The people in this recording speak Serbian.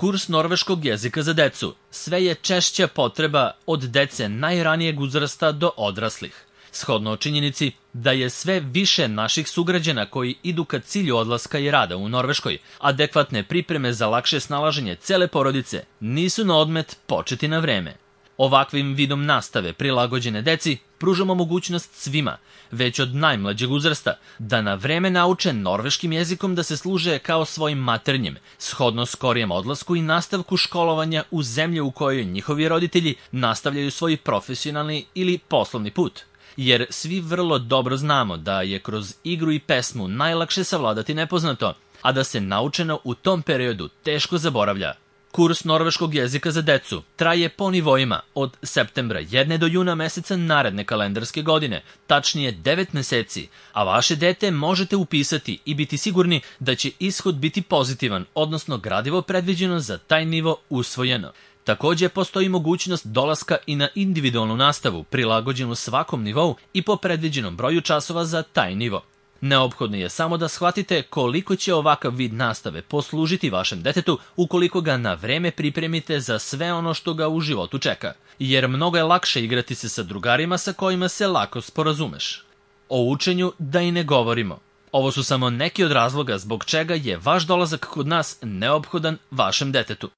Kurs norveškog jezika za decu sve je češća potreba od dece najranijeg uzrasta do odraslih. Shodno činjenici da je sve više naših sugrađana koji idu ka cilju odlaska i rada u Norveškoj, adekvatne pripreme za lakše snalaženje cele porodice nisu na odmet početi na vreme. Ovakvim vidom nastave prilagođene deci pružamo mogućnost svima, već od najmlađeg uzrasta, da na vreme nauče norveškim jezikom da se služe kao svojim maternjim, shodno skorijem odlasku i nastavku školovanja u zemlji u kojoj njihovi roditelji nastavljaju svoj profesionalni ili poslovni put. Jer svi vrlo dobro znamo da je kroz igru i pesmu najlakše savladati nepoznato, a da se naučeno u tom periodu teško zaboravlja. Kurs norveškog jezika za decu traje po nivoima od septembra 1 do juna meseca naredne kalendarske godine, tačnije 9 meseci, a vaše dete možete upisati i biti sigurni da će ishod biti pozitivan, odnosno gradivo predviđeno za taj nivo usvojeno. Takođe, postoji mogućnost dolaska i na individualnu nastavu, prilagođenu svakom nivou i po predviđenom broju časova za taj nivo. Neophodno je samo da shvatite koliko će ovakav vid nastave poslužiti vašem detetu ukoliko ga na vreme pripremite za sve ono što ga u životu čeka, jer mnogo je lakše igrati se sa drugarima sa kojima se lako sporazumeš. O učenju da i ne govorimo. Ovo su samo neki od razloga zbog čega je vaš dolazak kod nas neophodan vašem detetu.